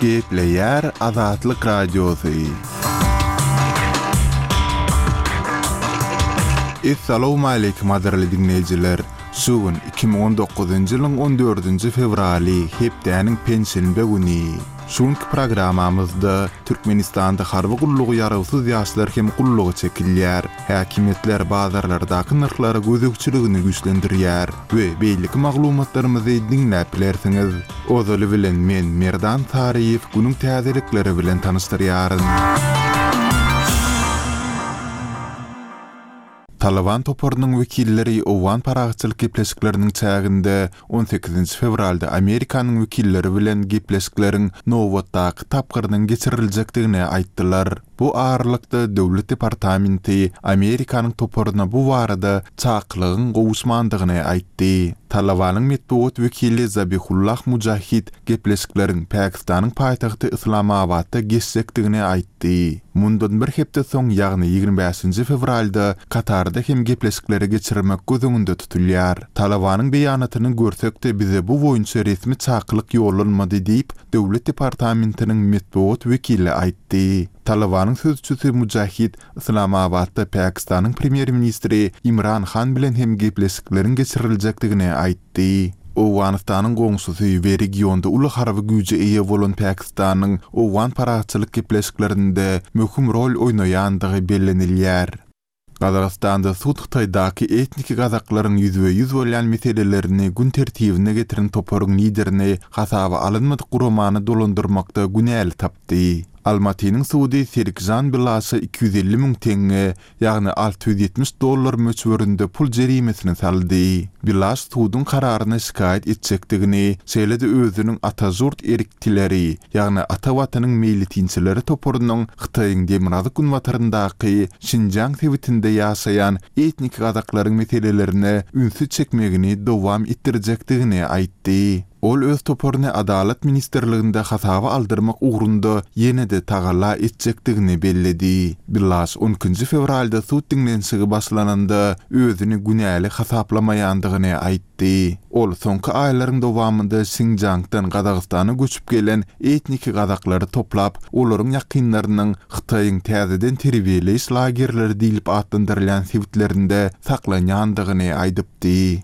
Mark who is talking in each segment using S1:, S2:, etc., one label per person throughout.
S1: Gepleýär Azatlyk Radiosy. Essalawmaleýkim gadyrly diňleýjiler! Şu gün 2019-njy ýylyň on dördünji fewraly, hepdäniň penşenbe güni. Şu günki programmamyzda Türkmenistanda harby gullugy ýarawsyz ýaşlar hem gulluga çekilýär. Häkimiýetler bazarlardaky nyrhlara gözegçiligini güýçlendirýär we beýleki maglumatlarymyzy diňläp bilersiňiz. Ozaly bilen men Merdan Saryýew günüň täzelikleri bilen tanyşdyrýaryn. Talyban toparynyň wekilleri owgan parahatçylyk gepleşikleriniň çäginde on sekizinji fewralda Amerikanyň wekilleri bilen gepleşikleriň nobatdaky tapgyrynyň geçiriljekdigini aýtdylar. Bu aralykda, Döwlet departamenti Amerikanyň toparyna bu barada çakylygyň gowuşmandygyny aýtdy. Talybanyň metbugat wekili Zabihullah Mujahid gepleşikleriň Pakistanyň paýtagty Yslamabatda geçjekdigini aýtdy. Mundan bir hepde soň, ýagny 25-nji fewralda Katarda hem gepleşikleri geçirmek göz öňünde tutulýar. Talybanyň beýanatyny görsek-de bize bu boýunça resmi çakylyk ýollanmady diýip, Döwlet departamentiniň metbugat wekili aýtdy. Talybanyň sözçüsi Mujahid Yslamabatda Pakistanyň premýer-ministri Imran Han bilen hem gepleşikleriň geçiriljekdigini aýtdy. Owganystanyň goňşusy we regionda uly harby güýje eýe bolan Pakistanyň owgan parahatçylyk gepleşiklerinde möhüm rol oýnaýandygy bellenilýär. Gazagystanda sud Hytaýdaky etniki gazaklaryň ýüzbe-ýüz bolýan meselelerini gün tertibine getiren toparyň liderini hasaba alynmadyk guramany dolandyrmakda günäli tapdy. Almatynyň sudy Serikžan Bilaşa 250 müň teňňe, ýagny 670 dollar möçberinde pul jerimesini saldy. Bilaş suduň kararyna şikaýat etjekdigini, şeýle-de özüniň Atažurt eriktileri, ýagny Ata Watanyň meýletinçileri toparynyň Hytaýyň demirgazyk-günbataryndaky Şinjiang sebitinde ýaşaýan etniki gazaklaryň meselelerine ünsi çekmegini dowam etdirjekdigini aýtdy. Ol öz toparyny Adalat ministrliginde hasaba aldyrmak ugrunda ýene-de tagalla etjekdigini belledi. Bilaş on ikinji fewralda sud diňlenişigi başlananda özüni günäli hasaplamaýandygyny aýtdy. Aýtdy. Ol soňky aýlaryň dowamynda Şinjiangdan Gazagystana göçüp gelen etniki gazaklary toplap, olaryň ýakynlarynyň Hytaýyň täzeden terbiýeleýiş lagerleri diýlip atlandyrylýan sebitlerinde saklanýandygyny aýdypdy.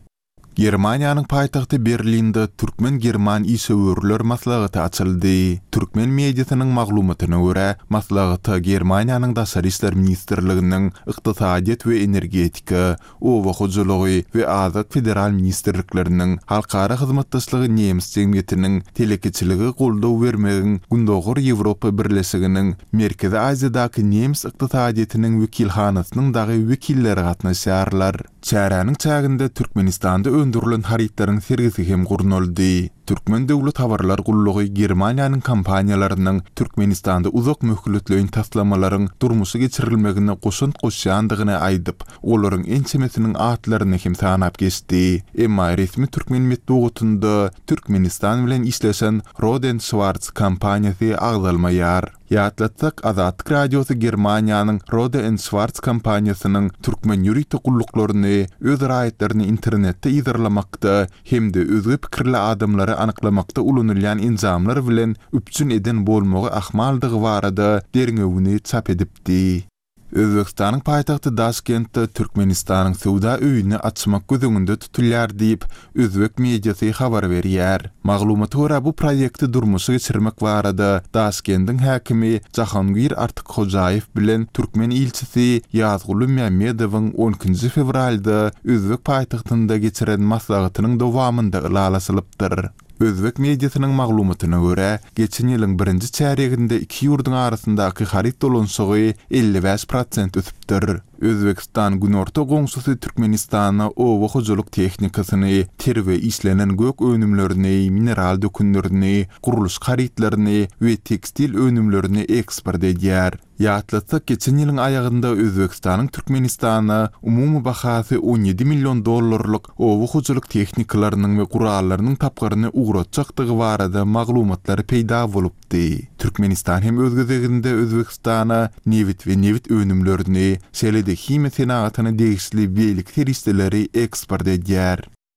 S1: Germaniýanyň paýtagty Berlinde türkmen-german işewürler maslahaty açyldy. Türkmen mediasynyň maglumatyna görä, maslahata Germaniýanyň Daşary işler ministrliginiň Ykdysadyýet we energetika, Oba hojalygy we azyk federal ministrlikleriniň, Halkara hyzmatdaşlygy nemes jemgyýetiniň, Telekeçilige goldaw bermegiň Gündogar Ýewropa Birleşiginiň Merkezi Aziýadaky nemes ykdysadyýetiniň wekilhanasynyň dagy wekilleri gatnaşýarlar. Çäräniň çäginde Türkmenistanda öndürilen harytlaryň sergisi hem gurnaldy. Türkmen döwlet habarlar gullugy Germaniýanyň kompaniýalarynyň Türkmenistanda uzak möhletleýin taslamalaryň durmuşa geçirilmegine goşant goşýandygyny aýdyp, olaryň ençemesiniň atlaryny hem sanap geçdi. Emma resmi türkmen metbugatynda Türkmenistan bilen işleşen Roden Şwarz kompaniýasy agzalmaýar. Ýatlatsak, Azatlyk Radiosy Germaniýanyň Rohde and Schwarz kompaniýasynyň türkmen ýörite gulluklaryny öz raýatlaryny internetde yzarlamakda hem-de özge pikirli adamlary anyklamakda ulanylýan enjamlar bilen üpjün eden bolmagy ahmaldygy barada derňewini çap edipdi. Özbegistanyň paýtagty Daşkentde Türkmenistanyň söwda öýüni açmak göz öňünde tutulýar diýip, özbek mediasy habar berýär. Maglumata görä, bu proýekti durmuşa geçirmek barada Daşkendiň häkimi Jahangir Artykhojaýew bilen türkmen ilçisi Ýazguly Mämmedowyň on ikinji fewralda özbek paýtagtynda geçiren maslahatynyň dowamynda ylalaşylypdyr. Özbek mediasynyň maglumatyna görä, geçen ýylyň birinji çärýeginde iki ýurduň arasyndaky haryt dolanyşygy 55 prosent ösüpdir. Özbegistan günorta goňşusy Türkmenistana oba hojalyk tehnikasyny, ter we işlenen gök önümlerini, mineral dökünlerini, gurluşyk harytlaryny we tekstil önümlerini eksport edýär. Ýatlatsak, geçen ýylyň aýagynda Özbegistanyň Türkmenistana umumy bahasy 17 million dollarlyk oba hojalyk tehnikalarynyň we gurallarynyň tapgyryny ugratjakdygy barada maglumatlar peýda bolupdy. Türkmenistan hem öz gezeginde Özbegistana nebit we nebit önümlerini, şeýle-de himiýa senagatyna degişli beýleki serişdeleri eksport edýär.